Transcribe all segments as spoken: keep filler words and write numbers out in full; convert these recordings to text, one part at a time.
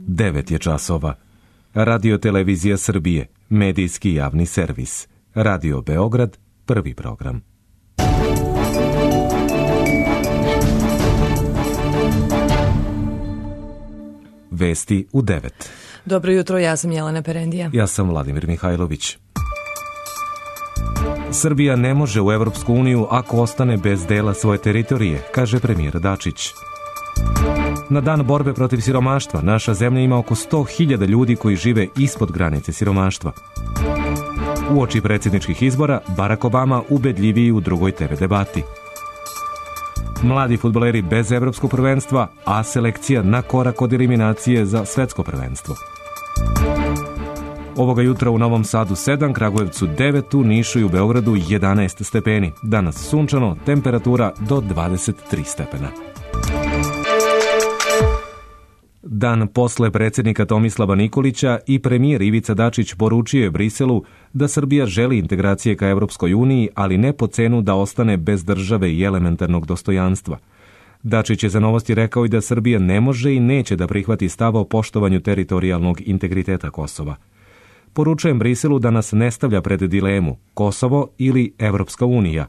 devet je časova. Radio Televizija Srbije, medijski javni servis. Radio Beograd, prvi program. Vesti u devet. Dobro jutro, ja sam Jelena Perendija. Ja sam Vladimir Mihajlović. Srbija ne može u Evropsku uniju ako ostane bez dela svoje teritorije, kaže premijer Dačić. Na dan borbe protiv siromaštva naša zemlja ima oko sto hiljada ljudi koji žive ispod granice siromaštva. Uoči predsjedničkih izbora, Barack Obama ubedljiviji u drugoj te ve debati. Mladi fudbaleri bez evropskog prvenstva, a selekcija na korak od eliminacije za svetsko prvenstvo. Ovoga jutra u Novom Sadu sedam, Kragujevcu devet, u Nišu i u Beogradu jedanaest stepeni. Danas sunčano, temperatura do dvadeset tri stepena. Dan posle predsjednika Tomislava Nikolića i premijer Ivica Dačić poručio je Briselu da Srbija želi integracije ka Evropskoj uniji, ali ne po cenu da ostane bez države i elementarnog dostojanstva. Dačić je za Novosti rekao i da Srbija ne može i neće da prihvati stav o poštovanju teritorijalnog integriteta Kosova. Poručujem Briselu da nas ne stavlja pred dilemu Kosovo ili Evropska unija,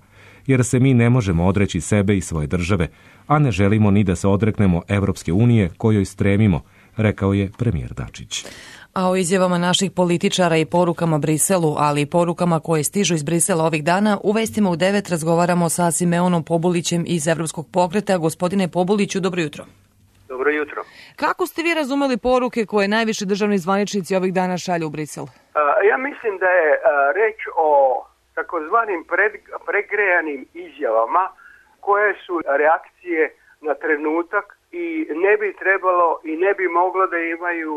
jer se mi ne možemo odreći sebe i svoje države, a ne želimo ni da se odreknemo Evropske unije kojoj stremimo, rekao je premijer Dačić. A o izjavama naših političara i porukama Briselu, ali i porukama koje stižu iz Brisela ovih dana, u Vestima u devet razgovaramo sa Simeonom Pobulićem iz Evropskog pokreta. Gospodine Pobuliću, dobro jutro. Dobro jutro. Kako ste vi razumeli poruke koje najviše državni zvaničnici ovih dana šalju u Brisel? Ja mislim da je reč o takozvanim pregrejanim izjavama koje su reakcije na trenutak i ne bi trebalo i ne bi moglo da imaju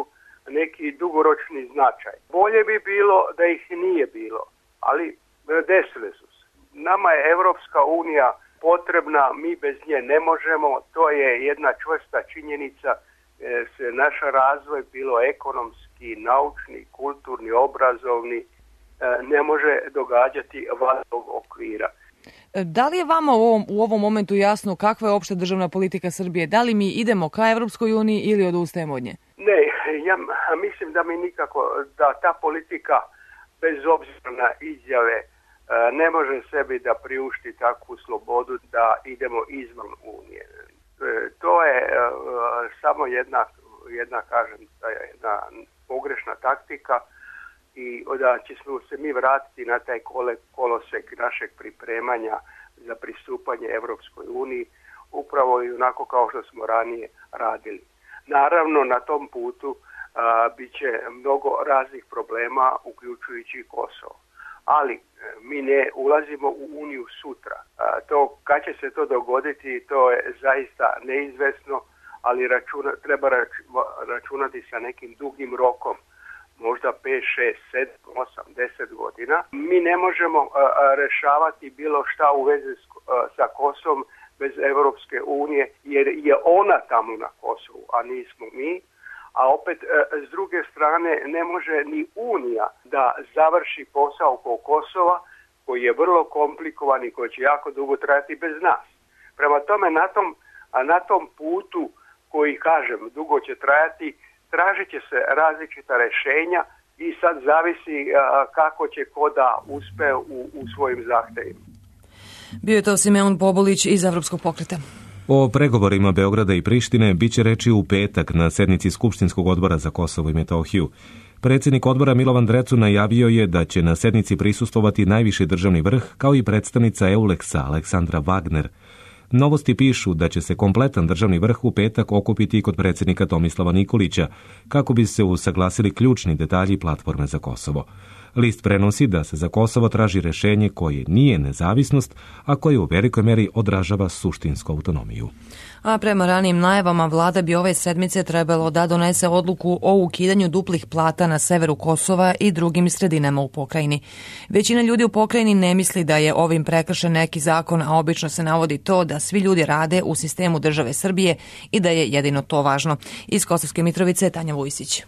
neki dugoročni značaj. Bolje bi bilo da ih nije bilo, ali desile su se. Nama je Evropska unija potrebna, mi bez nje ne možemo, to je jedna čvrsta činjenica, se naš razvoj, bilo ekonomski, naučni, kulturni, obrazovni, ne može događati van tog okvira. Da li je vama u ovom, u ovom momentu jasno kakva je opšta državna politika Srbije? Da li mi idemo ka Evropskoj uniji ili odustajemo od nje? Ne, ja mislim da mi nikako, da ta politika bez obzira na izjave ne može sebi da priušti takvu slobodu da idemo izvan Unije. To je samo jedna, jedna kažem, jedna pogrešna taktika i da ćemo se mi vratiti na taj kolosek našeg pripremanja za pristupanje Evropskoj uniji, upravo i onako kao što smo ranije radili. Naravno, na tom putu a, bit će mnogo raznih problema, uključujući Kosovo. Ali mi ne ulazimo u Uniju sutra. A, to, kad će se to dogoditi, to je zaista neizvesno, ali računa, treba rač, računati sa nekim dugim rokom. Možda pet, šest, sedam, osam, deset godina. Mi ne možemo a, a, rešavati bilo šta u vezi s, a, sa Kosovom bez Evropske unije, jer je ona tamo na Kosovu, a nismo mi. A opet, a, s druge strane, ne može ni Unija da završi posao oko Kosova, koji je vrlo komplikovan i koji će jako dugo trajati bez nas. Prema tome, na tom, a na tom putu koji, kažem, dugo će trajati, tražit će se različita rešenja i sad zavisi a, kako će ko da uspe u, u svojim zahtevima. Bio je to Simeon Pobulić iz Evropskog pokreta. O pregovorima Beograda i Prištine biće reči u petak na sednici Skupštinskog odbora za Kosovo i Metohiju. Predsjednik odbora Milovan Drecu najavio je da će na sednici prisustvovati najviši državni vrh, kao i predstavnica Euleksa Aleksandra Wagner. Novosti pišu da će se kompletan državni vrh u petak okupiti kod predsjednika Tomislava Nikolića, kako bi se usaglasili ključni detalji platforme za Kosovo. List prenosi da se za Kosovo traži rešenje koje nije nezavisnost, a koje u velikoj meri odražava suštinsku autonomiju. A prema ranijim najavama, vlada bi ove sedmice trebalo da donese odluku o ukidanju duplih plata na severu Kosova i drugim sredinama u pokrajini. Većina ljudi u pokrajini ne misli da je ovim prekršen neki zakon, a obično se navodi to da svi ljudi rade u sistemu države Srbije i da je jedino to važno. Iz Kosovske Mitrovice, Tanja Vujsić.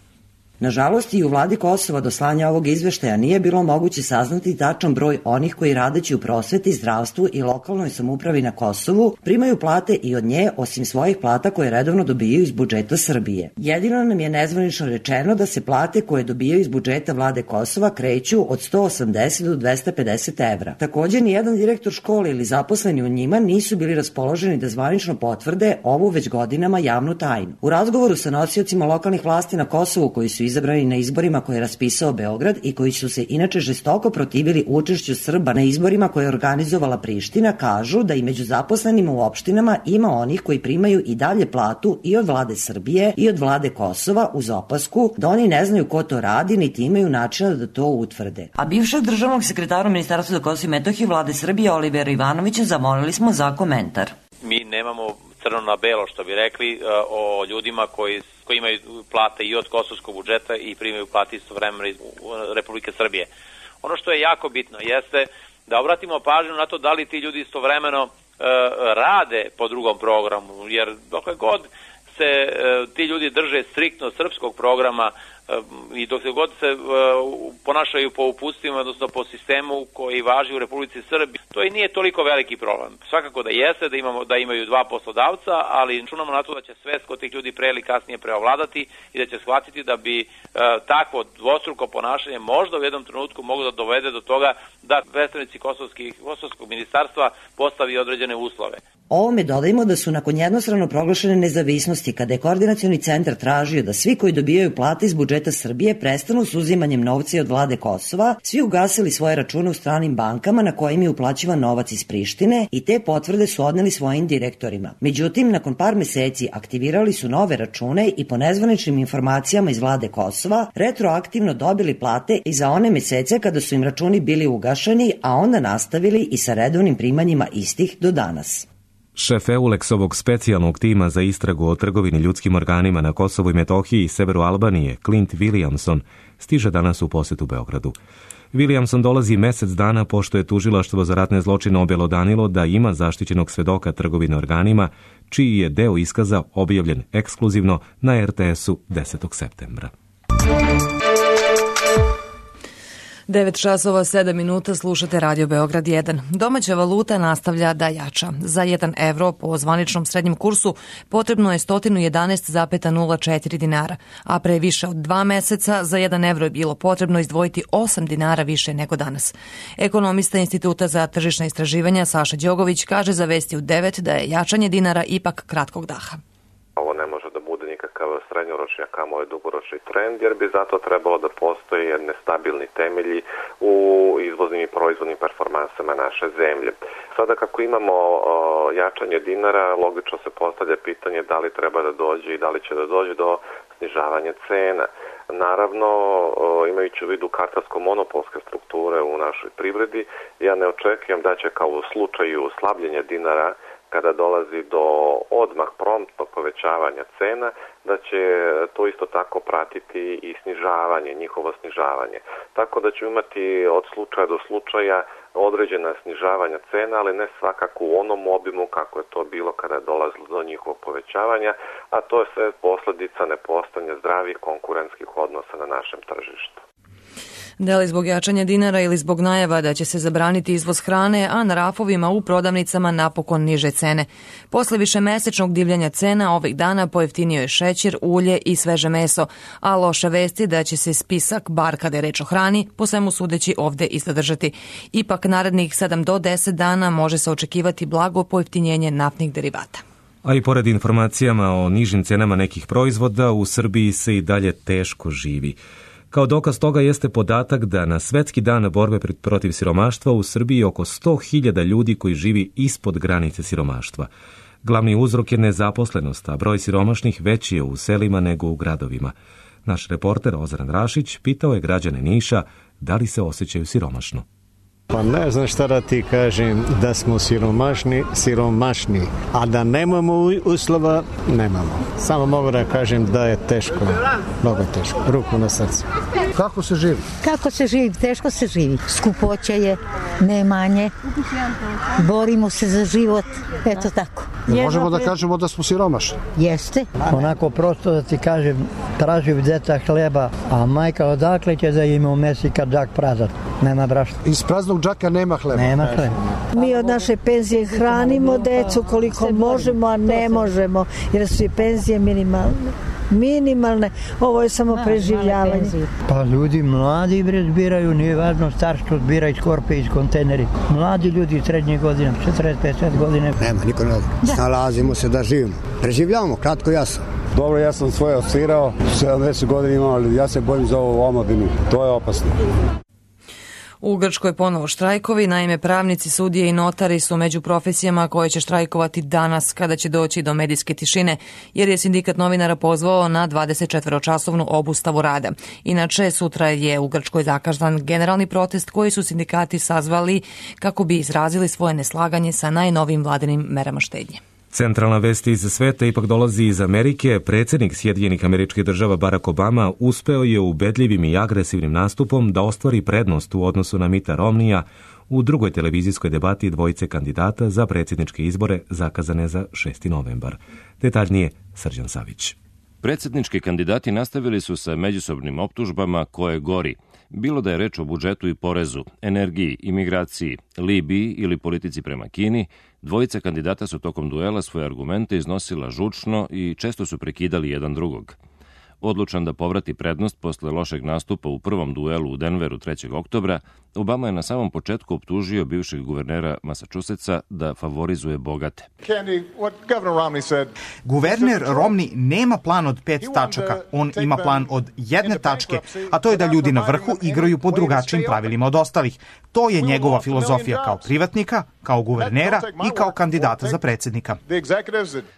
Nažalost, i u vladi Kosova do slanja ovog izveštaja nije bilo moguće saznati tačan broj onih koji radeći u prosveti, zdravstvu i lokalnoj samoupravi na Kosovu primaju plate i od nje, osim svojih plata koje redovno dobijaju iz budžeta Srbije. Jedino nam je nezvanično rečeno da se plate koje dobijaju iz budžeta vlade Kosova kreću od sto osamdeset do dvesta pedeset evra. Takođe, nijedan direktor škole ili zaposleni u njima nisu bili raspoloženi da zvanično potvrde ovu već godinama javnu tajnu. U razgovoru sa nosiocima lokalnih vlasti na Kosovu koji su izabrani na izborima koje je raspisao Beograd i koji su se inače žestoko protivili učešću Srba na izborima koje je organizovala Priština, kažu da i među zaposlenima u opštinama ima onih koji primaju i dalje platu i od vlade Srbije i od vlade Kosova, uz opasku da oni ne znaju ko to radi niti imaju načina da to utvrde. A bivšeg državnog sekretara Ministarstva za Kosovo i Metohiju vlade Srbije Olivera Ivanovića zamolili smo za komentar. Mi nemamo crno na belo, što bi rekli, o ljudima koji, koji imaju plate i od kosovskog budžeta i primaju plate istovremeno iz Republike Srbije. Ono što je jako bitno jeste da obratimo pažnju na to da li ti ljudi istovremeno e, rade po drugom programu, jer dokle god se e, ti ljudi drže striktno srpskog programa e, i dok se god se e, ponašaju po uputstvima, odnosno po sistemu koji važi u Republici Srbiji, to i nije toliko veliki problem. Svakako da jeste, da, imamo, da imaju dva poslodavca, ali računamo na to da će svest kod tih ljudi pre ili kasnije preovladati i da će shvatiti da bi e, takvo dvostruko ponašanje možda u jednom trenutku moglo da dovede do toga da predstavnici kosovskog ministarstva postavi određene uslove. Ovome dodajmo da su nakon jednostrano proglašene nezavisnosti, kada je koordinacioni centar tražio da svi koji dobijaju plate iz budžeta Srbije prestanu s uzimanjem novca od vlade Kosova, svi ugasili svoje račune u stranim bankama na kojim je uplaćivan novac iz Prištine i te potvrde su odneli svojim direktorima. Međutim, nakon par meseci aktivirali su nove račune i po nezvaničnim informacijama iz vlade Kosova retroaktivno dobili plate i za one mesece kada su im računi bili ugašeni, a onda nastavili i sa redovnim primanjima istih do danas. Šef Euleksovog specijalnog tima za istragu o trgovini ljudskim organima na Kosovu i Metohiji i severu Albanije, Clint Williamson, stiže danas u posetu Beogradu. Williamson dolazi mesec dana pošto je tužilaštvo za ratne zločine objelodanilo da ima zaštićenog svedoka trgovine organima, čiji je deo iskaza objavljen ekskluzivno na er te esu desetog septembra. devet časova sedam minuta, slušate Radio Beograd jedan. Domaća valuta nastavlja da jača. Za jedan evro po zvaničnom srednjem kursu potrebno je sto jedanaest zarez nula četiri dinara, a pre više od dva meseca za jedan evro je bilo potrebno izdvojiti osam dinara više nego danas. Ekonomista Instituta za tržišna istraživanja Saša Đogović kaže za Vesti u devet da je jačanje dinara ipak kratkog daha. Ovo ne može da bude nikakav srednjoročni, a kamoli dugoročni trend, jer bi zato trebalo da postoje jedne stabilni temelji u izvoznim i proizvodnim performansama naše zemlje. Sada kako imamo o, jačanje dinara, logično se postavlja pitanje da li treba da dođe i da li će da dođe do snižavanja cena. Naravno, imajući u vidu kartelsko-monopolske strukture u našoj privredi, ja ne očekujem da će kao u slučaju slabljenja dinara, kada dolazi do odmah promptnog povećavanja cena, da će to isto tako pratiti i snižavanje, njihovo snižavanje. Tako da ću imati od slučaja do slučaja određena snižavanja cena, ali ne svakako u onom obimu kako je to bilo kada je dolazilo do njihovog povećavanja, a to je sve posljedica nepostojanja zdravih konkurentskih odnosa na našem tržištu. Da li zbog jačanja dinara ili zbog najava da će se zabraniti izvoz hrane, a na rafovima u prodavnicama napokon niže cene. Posle višemesečnog divljanja cena ovih dana pojeftinio je šećer, ulje i sveže meso, a loše vesti da će se spisak, bar kada je reč o hrani, po svemu sudeći ovde i zadržati. Ipak narednih sedam do deset dana može se očekivati blago pojeftinjenje naftnih derivata. A i pored informacijama o nižim cenama nekih proizvoda, u Srbiji se i dalje teško živi. Kao dokaz toga jeste podatak da na Svetski dan borbe protiv siromaštva u Srbiji oko sto hiljada ljudi koji živi ispod granice siromaštva. Glavni uzrok je nezaposlenost, a broj siromašnih veći je u selima nego u gradovima. Naš reporter Ozran Rašić pitao je građane Niša da li se osjećaju siromašno. Pa ne znam šta da ti kažem, da smo siromašni, siromašni, a da nemamo uslova, nemamo. Samo mogu da kažem da je teško, mnogo teško, ruku na srcu. Kako se živi? Kako se živi, teško se živi. Skupoća je, ne manje. Borimo se za život, eto tako. Ne možemo da kažemo da smo siromašni. Jeste. Onako prosto da ti kažem, tražim djeca hleba, a majka odakle će da ima u mesi kad džak prazan? Nema brašna. Iz praznog džaka nema hleba. Nema hleba. Mi od naše penzije hranimo decu koliko možemo, a ne možemo, jer su i penzije minimalne. Minimalne, ovo je samo preživljavanje. Pa ljudi mladi bre zbiraju, nije važno starstvo, zbira iz korpe, iz kontejneri. Mladi ljudi srednje godine, četrdeset pedeset godine. Nema, niko ne zna. Snalazimo se da živimo. Preživljavamo, kratko jasno. Dobro, ja sam svoje osvirao, sedamdeset godina imam, ali ja se bojim za ovu omladinu. To je opasno. U Grčkoj ponovo štrajkovi, naime pravnici, sudije i notari su među profesijama koje će štrajkovati danas kada će doći do medijske tišine, jer je sindikat novinara pozvao na dvadesetčetvoročasovnu obustavu rada. Inače, sutra je u Grčkoj zakazan generalni protest koji su sindikati sazvali kako bi izrazili svoje neslaganje sa najnovijim vladinim merama štednje. Centralna vest iz sveta ipak dolazi iz Amerike. Predsjednik Sjedinjenih Američkih Država Barack Obama uspeo je ubedljivim i agresivnim nastupom da ostvari prednost u odnosu na Mitta Romneya u drugoj televizijskoj debati dvojice kandidata za predsjedničke izbore zakazane za šesti novembar. Detaljnije Srđan Savić. Predsjednički kandidati nastavili su sa međusobnim optužbama koje gori. Bilo da je reč o budžetu i porezu, energiji, imigraciji, Libiji ili politici prema Kini, dvojica kandidata su tokom duela svoje argumente iznosila žučno i često su prekidali jedan drugog. Odlučan da povrati prednost posle lošeg nastupa u prvom duelu u Denveru trećeg oktobra, Obama je na samom početku optužio bivšeg guvernera Massachusettsa da favorizuje bogate. Guverner Romney nema plan od pet tačaka, on ima plan od jedne tačke, a to je da ljudi na vrhu igraju po drugačijim pravilima od ostalih. To je njegova filozofija kao privatnika, kao guvernera i kao kandidata za predsjednika.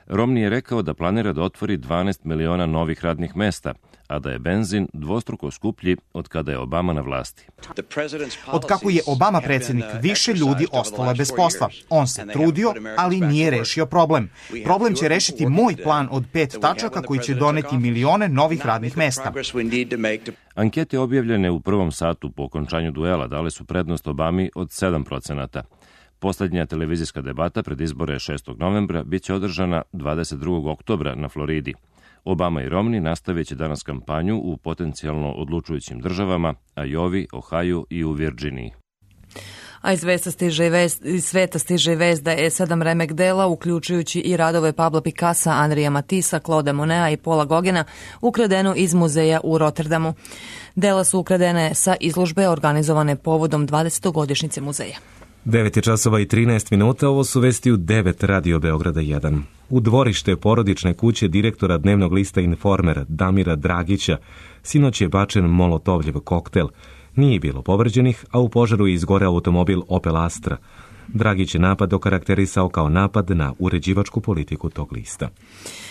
Romney je rekao da planira da otvori dvanaest miliona novih radnih mesta, a da je benzin dvostruko skuplji od kada je Obama na vlasti. Od kako je Obama predsjednik, više ljudi ostalo je bez posla. On se trudio, ali nije rešio problem. Problem će rešiti moj plan od pet tačaka koji će doneti milione novih radnih mesta. Ankete objavljene u prvom satu po okončanju duela dale su prednost Obami od sedam procenata. Poslednja televizijska debata pred izbore šestog novembra biće održana dvadeset drugog oktobra na Floridi. Obama i Romney nastavit će danas kampanju u potencijalno odlučujućim državama, Ajovi, Ohaju i u Virginiji. A iz sveta stiže vest, iz sveta stiže vest da je sedam remek dela, uključujući i radove Pabla Picassa, Andrija Matisa, Claude Moneta i Paula Gogena, ukradeno iz muzeja u Rotterdamu. Dela su ukradene sa izložbe organizovane povodom dvadesetogodišnjice muzeja. devet je časova i trinaest minuta, ovo su vesti u devet Radio Beograda jedan. U dvorište porodične kuće direktora dnevnog lista Informer Damira Dragića sinoć je bačen molotovljev koktel. Nije bilo povređenih, a u požaru je izgoreo automobil Opel Astra. Dragić je napad okarakterisao kao napad na uređivačku politiku tog lista.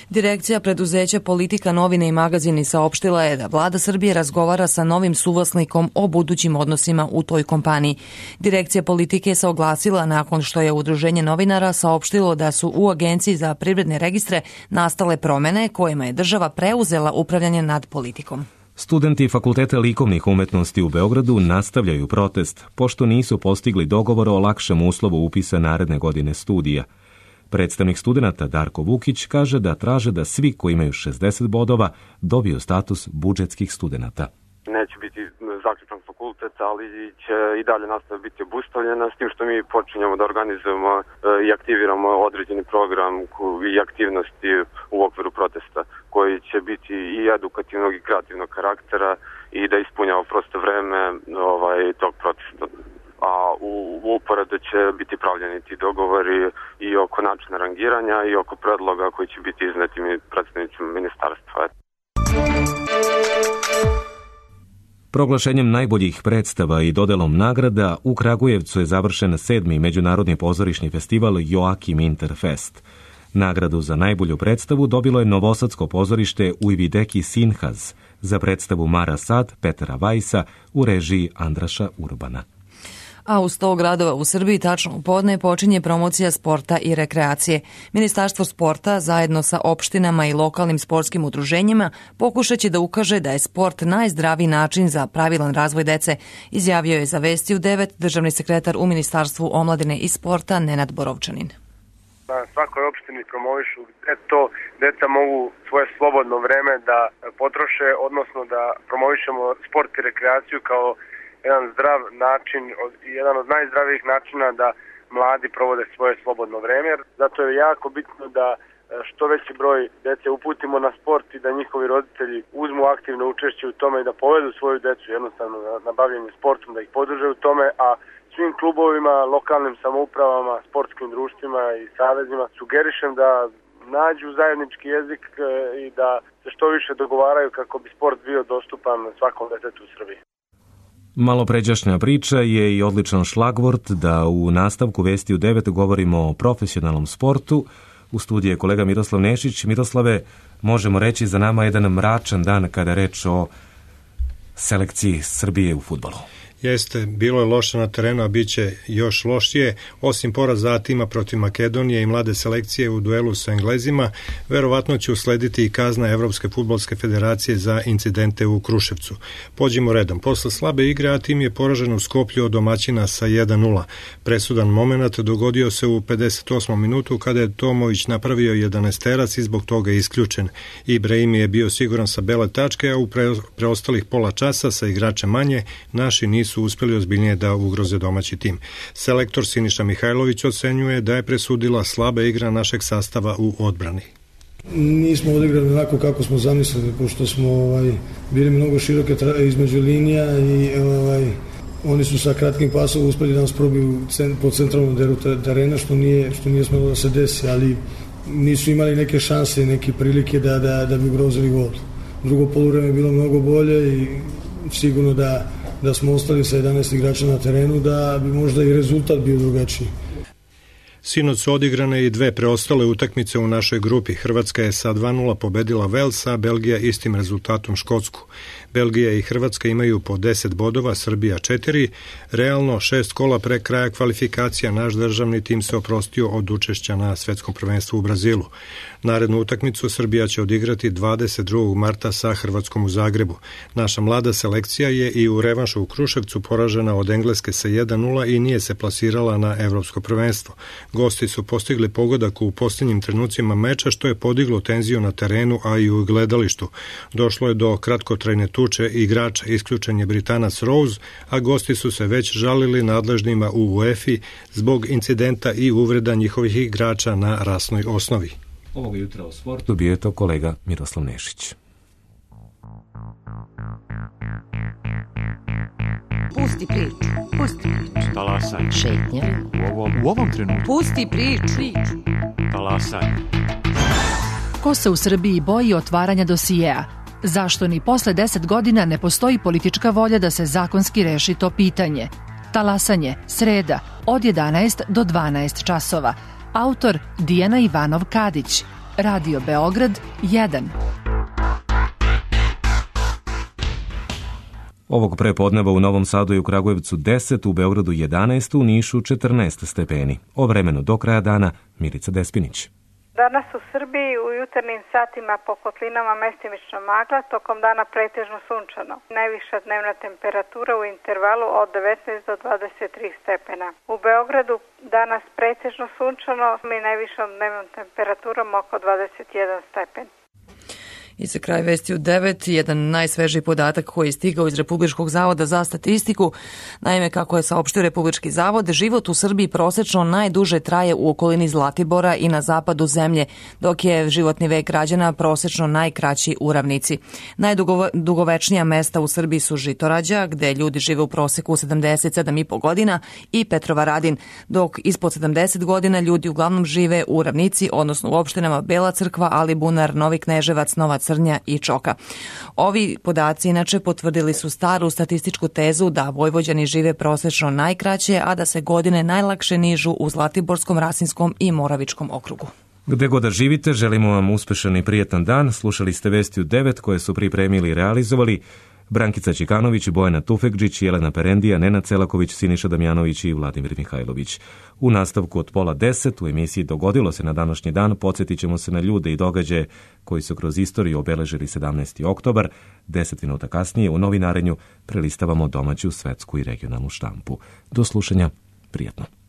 Direkcija preduzeća Politika, novine i magazini saopštila je da vlada Srbije razgovara sa novim suvlasnikom o budućim odnosima u toj kompaniji. Direkcija Politike se oglasila nakon što je Udruženje novinara saopštilo da su u Agenciji za privredne registre nastale promene kojima je država preuzela upravljanje nad Politikom. Studenti Fakulteta likovnih umetnosti u Beogradu nastavljaju protest, pošto nisu postigli dogovor o lakšem uslovu upisa naredne godine studija. Predstavnik studenata Darko Vukić kaže da traže da svi koji imaju šezdeset bodova dobiju status budžetskih studenata. Neće biti zaključan fakultet, ali će i dalje nastava biti obustavljena, s tim što mi počinjemo da organizujemo i aktiviramo određeni program i aktivnosti u okviru protesta, koji će biti i edukativnog i kreativnog karaktera i da ispunjava prosto vreme ovaj, tog protesta. A u, u uporedu će biti pravljeni ti dogovori i oko načina rangiranja i oko predloga koji će biti izneti predstavnicima ministarstva. Proglašenjem najboljih predstava i dodelom nagrada u Kragujevcu je završen sedmi međunarodni pozorišni festival Joakim Interfest. Nagradu za najbolju predstavu dobilo je novosadsko pozorište Ujvideki Sinhaz za predstavu Mara Sad Petera Vajsa u režiji Andraša Urbana. a u sto gradova u Srbiji tačno u podne počinje promocija sporta i rekreacije. Ministarstvo sporta zajedno sa opštinama i lokalnim sportskim udruženjima pokušat će da ukaže da je sport najzdraviji način za pravilan razvoj dece, izjavio je za Vesti u devet državni sekretar u Ministarstvu omladine i sporta Nenad Borovčanin. Na svakoj opštini promovišu gde to deca mogu svoje slobodno vreme da potroše, odnosno da promovišemo sport i rekreaciju kao jedan zdrav način, jedan od najzdravijih načina da mladi provode svoje slobodno vreme. Zato je jako bitno da što veći broj dece uputimo na sport i da njihovi roditelji uzmu aktivno učešće u tome i da povedu svoju decu jednostavno na bavljenje sportom, da ih podrže u tome, a svim klubovima, lokalnim samoupravama, sportskim društvima i savezima sugerišem da nađu zajednički jezik i da se što više dogovaraju kako bi sport bio dostupan svakom detetu u Srbiji. Malopređašnja priča je i odličan šlagvort da u nastavku Vesti u devet govorimo o profesionalnom sportu. U studiju je kolega Miroslav Nešić. Miroslave, možemo reći za nama jedan mračan dan kada je reč o selekciji Srbije u fudbalu. Jeste, bilo je loše na terenu, a bit će još lošije. Osim poraza tima protiv Makedonije i mlade selekcije u duelu sa Englezima, verovatno će uslediti i kazna Evropske fudbalske federacije za incidente u Kruševcu. Pođimo redom. Posle slabe igre, a tim je poražen u Skoplju od domaćina sa jedan nula. Presudan moment dogodio se u pedeset osmom minutu kada je Tomović napravio jedanaesterac i zbog toga je isključen. Ibrahim je bio siguran sa bele tačke, a u preostalih pola časa sa igračem manje naši nisu su uspeli ozbiljnije da ugroze domaći tim. Selektor Siniša Mihajlović ocenjuje da je presudila slaba igra našeg sastava u odbrani. Nismo odigrali onako kako smo zamislili, pošto smo ovaj, bili mnogo široke između linija i ovaj, oni su sa kratkim pasom uspeli da nas probiju po centralnom delu terena, što nije, što nije smelo da se desi, ali nisu imali neke šanse i neke prilike da, da, da bi ugrozili gol. Drugo poluvreme je bilo mnogo bolje i sigurno da da smo ostali sa jedanaest igrača na terenu, da bi možda i rezultat bio drugačiji. Sinoć su odigrane i dve preostale utakmice u našoj grupi. Hrvatska je sa dva nula pobedila Vels, a Belgija istim rezultatom Škotsku. Belgija i Hrvatska imaju po deset bodova, Srbija četiri. Realno, šest kola pre kraja kvalifikacija naš državni tim se oprostio od učešća na svetskom prvenstvu u Brazilu. Narednu utakmicu Srbija će odigrati dvadeset drugog marta sa Hrvatskom u Zagrebu. Naša mlada selekcija je i u revanšu u Kruševcu poražena od Engleske sa jedan nula i nije se plasirala na evropsko prvenstvo. Gosti su postigli pogodak u posljednjim trenucima meča, što je podiglo tenziju na terenu, a i u gledalištu. Došlo je do kratkotrajne tuče igrača, isključen je Britanac Rose, a gosti su se već žalili nadležnima u UEFA zbog incidenta i uvreda njihovih igrača na rasnoj osnovi. Ovog jutra u sportu bio je to kolega Miroslav Nešić. Pusti priču, pusti priču. Talasaj. Šetnja. U ovom, u ovom trenutku. Pusti priču. Talasaj. Ko se u Srbiji boji otvaranja dosijeja? Zašto ni posle deset godina ne postoji politička volja da se zakonski reši to pitanje? Talasanje, sreda, od jedanaest do dvanaest časova. Autor Dijana Ivanov Kadić. Radio Beograd jedan. Ovog prepodneva u Novom Sadu i u Kragujevcu deset, u Beogradu jedanaest, u Nišu četrnaest stepeni. O vremenu do kraja dana Milica Despinić. Danas u Srbiji u jutarnjim satima po kotlinama mestimično magla, tokom dana pretežno sunčano. Najviša dnevna temperatura u intervalu od devetnaest do dvadeset tri stepena. U Beogradu danas pretežno sunčano i najvišom dnevnom temperaturom oko dvadeset jedan stepen. I za kraj Vesti u devet, jedan najsvežiji podatak koji je stigao iz Republičkog zavoda za statistiku. Naime, kako je saopštio Republički zavod, život u Srbiji prosečno najduže traje u okolini Zlatibora i na zapadu zemlje, dok je životni vek građana prosečno najkraći u ravnici. Najdugovečnija mesta u Srbiji su Žitorađa, gde ljudi žive u proseku sedamdeset sedam i po godina, i Petrovaradin, dok ispod sedamdeset godina ljudi uglavnom žive u ravnici, odnosno u opštinama Bela Crkva, Alibunar, Novi Kneževac, Nova Crnja i Čoka. Ovi podaci inače potvrdili su staru statističku tezu da Vojvođani žive prosečno najkraće, a da se godine najlakše nižu u Zlatiborskom, Rasinskom i Moravičkom okrugu. Gde god da živite, želimo vam uspešan i prijetan dan. Slušali ste Vesti u devet koje su pripremili i realizovali Brankica Čikanović, Bojana Tufekđić, Jelena Perendija, Nenad Celaković, Siniša Damjanović i Vladimir Mihajlović. U nastavku od pola deset u emisiji Dogodilo se na današnji dan podsjetit ćemo se na ljude i događaje koji su kroz istoriju obeležili sedamnaesti oktobar. Deset minuta kasnije u novinarenju prelistavamo domaću, svetsku i regionalnu štampu. Do slušanja, prijatno.